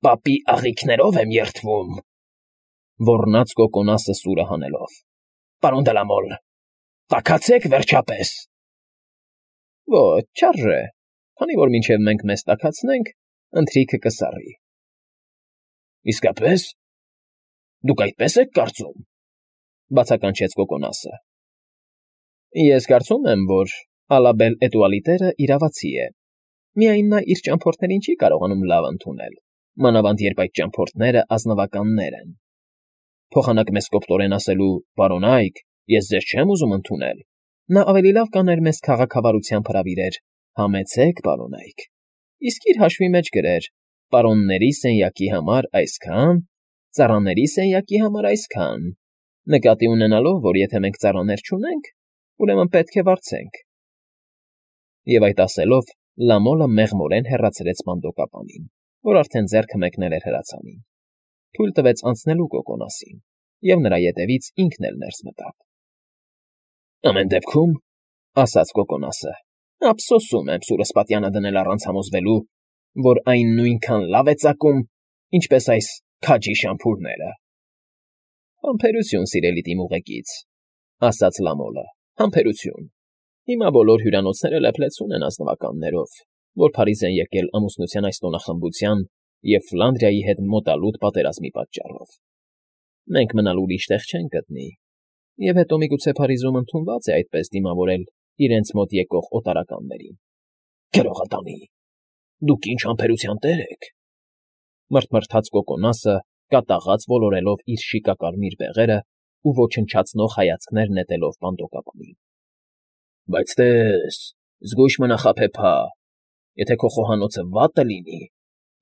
Պապի աղիքներով եմ երդվում,֊ ոռնաց կոկոնասը սուրը հանելով։ Պարոն Դլամոլ, տաքացեք վերջապես։ Ոչ, չարժե, քանի որ մինչև մենք մեզ տաքացնենք, ընթրիքը կսառի։ Իսկապես, դուք այդպես եք կարծում,֊ բացականչեց կոկոնասը։ Ես կարծում եմ, որ Ալաբել֊Էտուալի տերը իրավացի է, միայն նա իր ճամփորդներին չի կարողանում լավ ընդունել, մանավանդ երբ այդ ճամփորդները ազնվականներ են։ Փոխանակ մեզ կոպտորեն ասելու «Պարոնայք, ես ձեզ չեմ ուզում ընդունել», նա ավելի լավ կաներ մեզ քաղաքավարությամբ հրավիրեր «Համեցեք, պարոնայք», իսկ իր հաշվի մեջ գրեր «Պարոնների սենյակի համար այսքան, ծառաների սենյակի համար այսքան», նկատի ունենալով, որ եթե մենք ծառաներ չունենք, ուրեմն պետք է վարձենք։ Եվ այդ ասելով Լամոլը մեղմորեն հեռացրեց բանդոկապանին, որ արդեն ձեռքը մեկնել էր հրացանին, թույլ տվեց անցնելու կոկոնասին, և նրա ետևից ինքն էլ ներս մտավ։ Ամեն դեպքում, ասաց կոկոնասը, ափսոսում եմ սուրս պատյանը դնել առանց համոզվելու, որ այն նույնքան լավ է ծակում, ինչպես այս քաջի շամփուրները։ Համբերություն, սիրելի դիմուղեկից, ասաց Լամոլը, համբերություն։ Հիմա բոլոր հյուրանոցները լեփլեցուն են ազնվականներով, որ Փարիզ են եկել ամուսնության այս տոնախմբության և Ֆլանդրիայի հետ մոտալուտ պատերազմի պատճառով։ Մենք մնալ ուրիշ տեղ չենք գտնի, և հետո միգուցե Փարիզում ընդունված է այդպես դիմավորել իրենց մոտ եկող օտարականներին։ Գրողատանի, դուք ինչ համբերության տեր եք,֊ մռթմռթաց կոկոնասը, կատաղած ոլորելով իր շիկակարմիր բեղերը ու ոչնչացնող հայացքներ նետելով բանդոկապանին։ Բայց տես, զգույշ մնա խաբեբա, եթե քո խոհանոցը վատը լինի,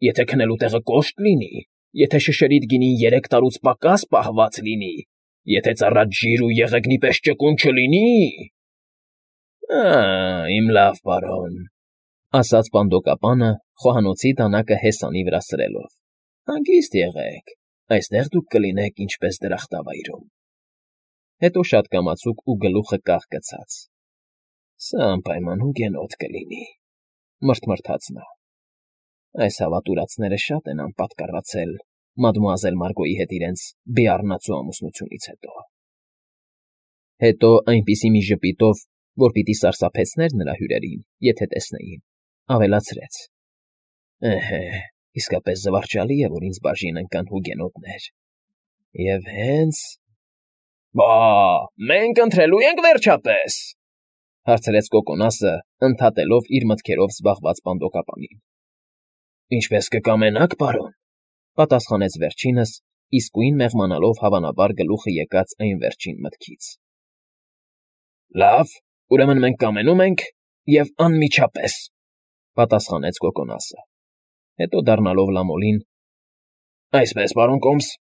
եթե քնելու տեղը կոշտ լինի, եթե շշերիդ գինին 3 տարուց պակաս պահված լինի, եթե ծառադ ջիր ու եղեգնի պես ճկուն չլինի… Իմ լավ պարոն,֊ ասաց բանդոկապանը, խոհանոցի դանակը հեսանի վրա սրելով,֊ հանգիստ եղեք, այստեղ դուք կլինեք ինչպես դրախտավայրում։ Հետո շատ կամացուկ ու գլուխը կախ գցած. Սա անպայման հուգենոտ կլինի, մռթմռթաց նա։ Այս հավատուրացները շատ են անպատկառացել մադմուազել Մարգոյի հետ իրենց բիառնացու ամուսնությունից հետո։ Հետո այնպիսի մի ժպիտով, որ պիտի սարսափեցներ նրա հյուրերին, եթե տեսնեին, ավելացրեց. Էհե, իսկապես զվարճալի է, որ ինձ բաժին ընկան հուգենոտներ։ Եվ հենց… Բա, մենք ընթրելու ենք վերջապես,֊ հարցրեց կոկոնասը, ընդհատելով իր մտքերով զբաղված բանդոկապանին։ Ինչպես կկամենաք, պարոն,֊ պատասխանեց վերջինս, իսկույն մեղմանալով հավանաբար գլուխը եկած այն վերջին մտքից։ Լավ, ուրեմն մենք կամենում ենք և անմիջապես,֊ պատասխանեց կոկոնասը։ Հետո դառնալով Լամոլին. Այսպես, պարոն Կոմս,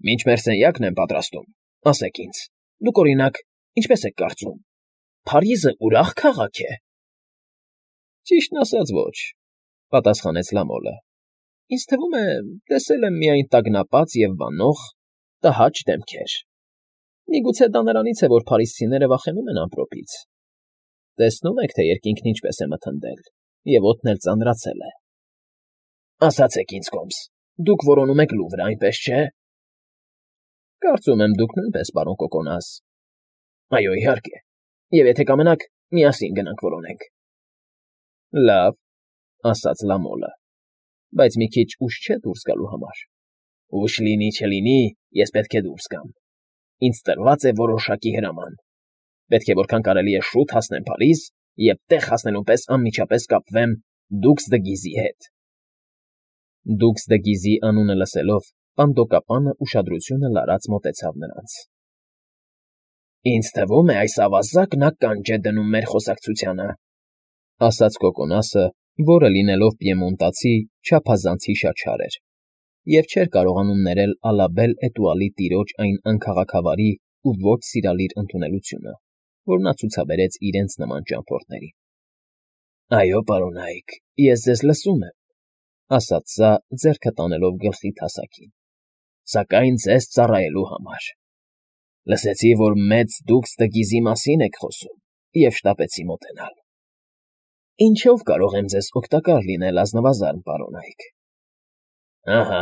մինչ մեր սենյակն եմ պատրաստում, ասեք ինձ, դուք, օրինակ, ինչպես եք կարծում, Փարիզը ուրախ քաղաք է։ Ճիշտն ասած, ոչ,֊ պատասխանեց Լամոլը։ Ինձ թվում է, տեսել եմ միայն տագնապած և վանող, տհաճ դեմքեր։ Միգուցե դա նրանից է, որ փարիզցիները վախենում են ամպրոպից։ Տեսնում եք, թե երկինքն ինչպես է մթնդել, և օդն էլ ծանրացել է։ Ասացեք ինձ, Կոմս, դուք որոնում եք Լուվրը, այնպես չէ։ Կարծում եմ, դուք նույնպես, պարոն Կոկոնաս։ Այո, իհարկե, և եթե կամենաք, միասին գնանք որոնենք։ Լավ,֊ ասաց Լամոլը, բայց մի քիչ ուշ չէ դուրս գալու համար։ Ուշ լինի, չլինի, ես պետք է դուրս գամ։ Ինձ տրված է որոշակի հրաման։ Պետք է որքան կարելի է շուտ հասնեմ Փարիզ և տեղ հասնելուն պես անմիջապես կապվեմ Դուքս դը Գիզի հետ։ Դուքս դը Գիզի անունը լսելով, բանդոկապանը ուշադրությունը լարած մոտեցավ նրանց։ Ինձ թվում է, այս ավազակն ականջ է դնում մեր խոսակցությանը, ասաց կոկոնասը, որը լինելով պիեմոնտացի չափազանց հիշաչար էր, և չէր կարողանում ներել Ալաբել֊Էտուալի տիրոջ այն անքաղաքավարի ու ոչ սիրալիր ընդունելությունը, որ նա ցուցաբերեց իրենց նման ճամփորդներին։ Այո, պարոնայք, ես ձեզ լսում եմ, ասաց սա, ձեռքը տանելով գլխի թասակին, սակայն ձեզ ծառայելու համար։ Լսեցի, որ մեծ Դուքս դը Գիզի մասին եք խոսում, և շտապեցի մոտենալ։ Ինչով կարող եմ ձեզ օգտակար լինել, ազնվազարմ պարոնայք։ Ահա,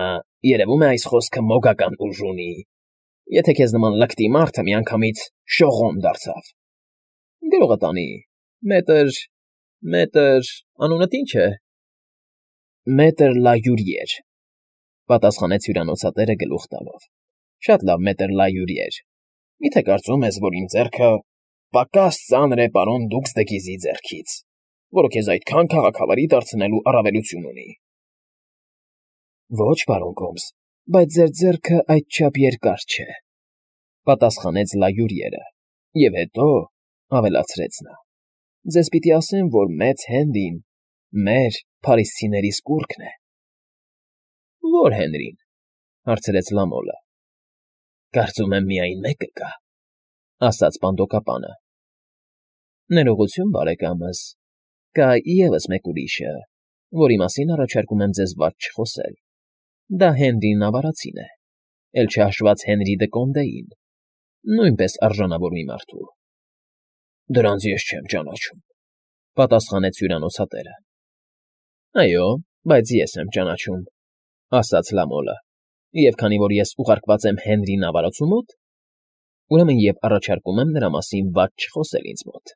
երևում է այս խոսքը մոգական ուժ ունի։ Եթե քեզ նման լկտի մարդը միանգամից շողոմ դարձավ։ Գրողը տանի։ Մետր, անունդ ի՞նչ է։ Մետր Լայուրիեր, պատասխանեց հյուրանոցատերը գլուխ տալով։ Շատ լավ, մետր Լայուրիեր։ Միթե կարծում ես, որ իմ ձեռքը պակաս ծանր է պարոն Դուքս դը Գիզի ձեռքից, որը քեզ այդքան քաղաքավարի դարձնելու առավելություն ունի։ Ոչ, պարոն Գոմս, բայց ձեր ձեռքը այդչափ երկար չէ, պատասխանեց Լայուրիերը, և հետո ավելացրեց նա. ձեզ պիտի ասեմ, որ մեծ Հենրին մեր փարիսցիների սկուրկն է։ Ո՞ր Հենրին, հարցրեց Լամոլը։ Կարծում եմ միայն մեկը կա, ասաց պանդոկապանը։ Ներողություն, բարեկամս, կա ևս մեկ ուրիշը, որի մասին առաջարկում եմ ձեզ վատ չխոսել։ Դա Հենրին Նավարացին է, էլ չհաշված Հենրի դը Կոնդեին, նույնպես արժանավոր մի մարդու։ Դրանց ես չեմ ճանաչում, պատասխանեց հյուրանոցատերը։ Այո, բայց ես եմ ճանաչում, ասաց Լամոլը, և քանի որ ես ուղարկված եմ Հենրի Նավարացու մոտ, ուրեմն և առաջարկում եմ նրա մասին վատ չխոսել ինձ մոտ։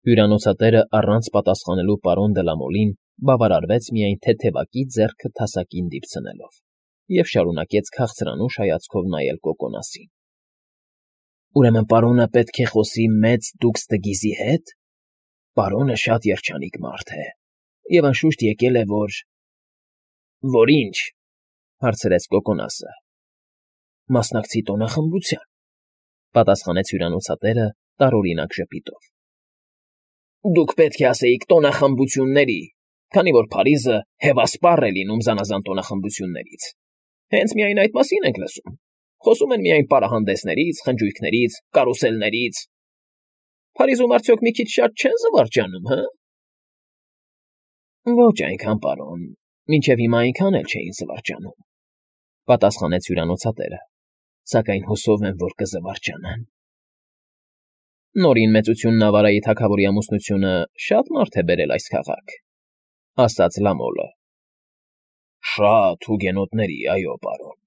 Հյուրանոցատերը առանց պատասխանելու պարոն Դլամոլին բավարարվեց միայն թեթևակի ձեռքը թասակին դիպցնելով և շարունակեց քաղցրանուշ հայացքով նայել Կոկոնասին։ Ուրեմն պարոնը պետք է խոսի մեծ Դուքս դը Գիզի հետ։ Պարոնը շատ երջանիկ մարդ է, և անշուշտ եկել է, որ ինչ, հարցրեց Կոկոնասը։ Մասնակցի տոնախմբության, պատասխանեց հյուրանոցատերը տարօրինակ ժպիտով։ Դուք պետք է ասեիք տոնախմբությունների, քանի որ Փարիզը հևասպառ է լինում զանազան տոնախմբություններից։ Հենց միայն այդ մասին ենք լսում։ Խոսում են միայն պարահանդեսներից, խնջույքներից, կարուսելներից։ Փարիզում արդյոք մի քիչ շատ չեն զվարճանում, հը։ Ոչ այնքան, պարոն, մինչև հիմա այնքան էլ չէին զվարճանում, պատասխանեց հյուրանոցատերը, սակայն հուսով եմ, որ կզվարճանան։ Նորին մեծություն Նավարայի թագավորի ամուսնությունը շատ մարդ է բերել այս քաղաք, ասաց Լամոլը։ Շատ հուգենոտների, այո, պարոն,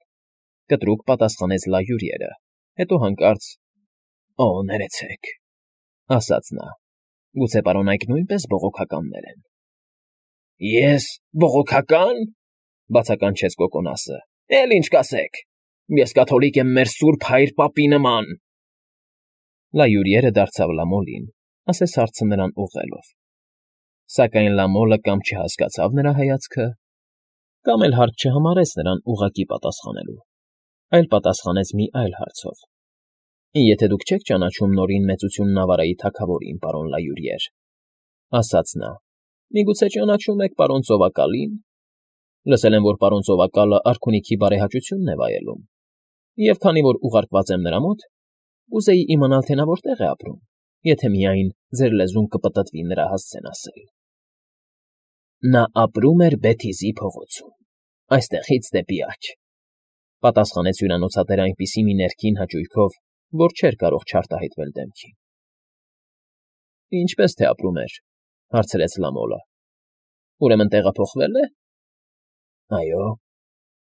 կտրուկ պատասխանեց Լայուրիերը, հետո հանկարծ Օ, ներեցեք, ասաց նա, գուցե պարոն այք նույնպես բողոքականներ են։ Ես բողոքական, բացականչեց Կոկոնասը, էլ ինչ կասեք, ես կաթոլիկ եմ մեր սուրբ հայր պապի նման։ Լայուրիերը դարձավ Լամոլին, ասես հարցը նրան ուղղելով։ Սակայն Լամոլը կամ չհասկացավ նրա հայացքը, կամ էլ հարց չհամարեց նրան ուղղակի պատասխանելու, այլ պատասխանեց մի այլ հարցով. Եթե դուք չեք ճանաչում նորին մեծություն Նավարայի թագավորին, պարոն Լայուրիեր, ասաց նա, միգուցե ճանաչում եք պարոն Ծովակալին։ Լսել եմ, որ պարոն Ծովակալը արքունիքի բարեհաճությունն է վայելում, և քանի որ ուղարկված եմ նրա մոտ, ուզեի իմանալ, թե նա որտեղ է ապրում, եթե միայն ձեր լեզուն կպտտվի նրա հասցեն ասել։ Նա ապրում էր Բեթիզի փողոցում, այստեղից դեպի աջ, պատասխանեց հյուրանոցատերը այնպիսի մի ներքին հաճույքով, որ չէր կարող չարտահայտվել դեմքին։ Ինչպես թե ապրում էր, հարցրեց Լամոլը։ Ուրեմն տեղափոխվել է։ Այո,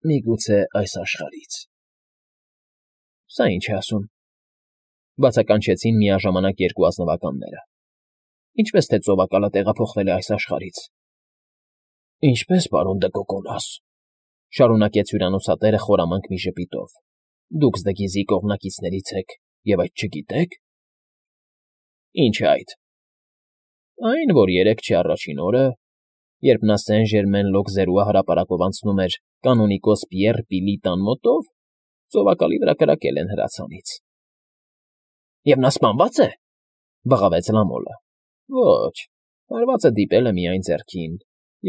միգուցե այս աշխարհից։ Սա ինչ է ասում, բացականչեցին միաժամանակ երկու ազնվականները։ Ինչպես թե Ծովակալը տեղափոխվել է այս աշխարհից։ Ինչպես, պարոն դը Կոկոնաս, շարունակեց հյուրանոցատերը խորամանկ մի ժպիտով։ Դուքս դը Գիզի կողմնակիցներից եք և այդ չգիտեք։ Ինչ է այդ։ Այն, որ երեկ առաջին օրը, երբ նա Սեն-Ժերմեն-Լոկզերուա հրապարակով անցնում էր կանոնիկոս Պիեռ Պիլի տան մոտով, Ծովակալի վրա կրակել են հրացանից։ Եվ նա սպանվա՞ծ է, բղավեց Լամոլը։ Ոչ, հարվածը դիպել է միայն ձեռքին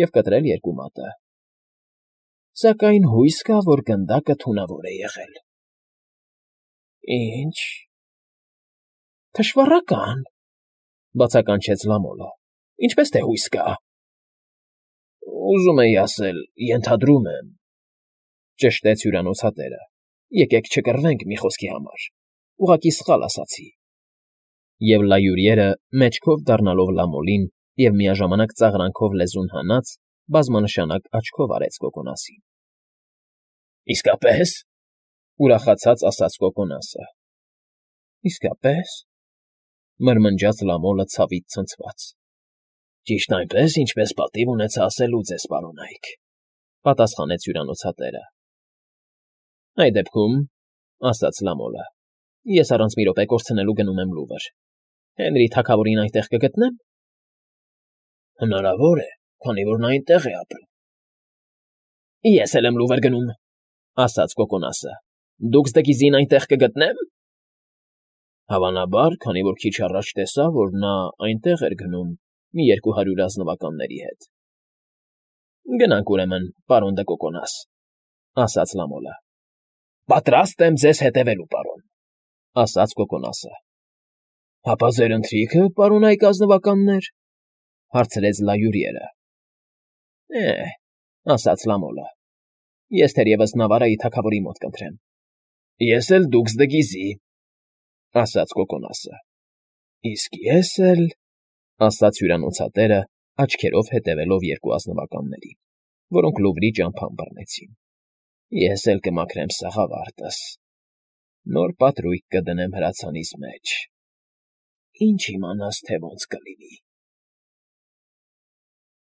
և կտրել երկու մատը։ Սակայն հույս կա, որ գնդակը թունավոր է եղել։ Ինչ։ Թշվառական, բացականչեց Լամոլը։ Ինչպես թե հույս կա։ Ուզում էի ասել, ենթադրում եմ, ճշտեց հյուրանոցատերը։ Եկեք չկռվենք մի խոսքի համար, ուղղակի սխալ ասացի։ Եվ Լայուրիերը, մեջքով դառնալով Լամոլին և միաժամանակ ծաղրանքով լեզուն հանած, բազմանշանակ աչքով արեց Կոկոնասին։ ֊ Իսկապես,֊ ուրախացած ասաց Կոկոնասը։ ֊ Իսկապես,֊ մրմնջաց Լամոլը ցավից ցնցված։ ֊ Ճիշտ այնպես, ինչպես պատիվ ունեցա ասելու ձեզ, պարոնայք,֊ պատասխանեց հյուրանոցատերը։ ֊ Այդ դեպքում,֊ ասաց Լամոլը,֊ ես առանց մի րոպե կորցնելու գնում եմ Լուվր. Հենրի թագավորին այնտեղ կգտնե՞մ։ ֊ Հնարավոր է, քանի որ նա այնտեղ է ապրում։ ֊ Ես էլ եմ Լուվր գնում,֊ ասաց Կոկոնասը։ Դուքս Դգիզին այնտեղ կգտնե՞մ։ ֊ Հավանաբար, քանի որ քիչ առաջ տեսա, որ նա այնտեղ էր գնում մի 200 ազնվականների հետ։ ֊ Գնանք, ուրեմն, պարոն դը Կոկոնաս,֊ ասաց Լամոլը։ ֊ Պատրաստ եմ ձեզ հետևելու, պարոն,֊ ասաց Կոկոնասը։ ֊ Հապա ձեր ընթրիքը, պարոնայք ազնվականներ,֊ հարցրեց Լայուրիերը։ ֊ ասաց Լամոլը,֊ ես թերևս Նավարայի թագավորի մոտ կընթրեմ։ ֊ Ես էլ Դուքս Դգիզի,֊ ասաց Կոկոնասը։ ֊ Իսկ ես էլ,֊ ասաց հյուրանոցատերը, աչքերով հետևելով երկու ազնվականներին, որոնք Լուվրի ճամփան բռնեցին,֊ ես էլ կմաքրեմ սաղավարտս, նոր պատրույգ կդնեմ հրացանիս մեջ, ինչ իմանաս, թե ոնց կլինի։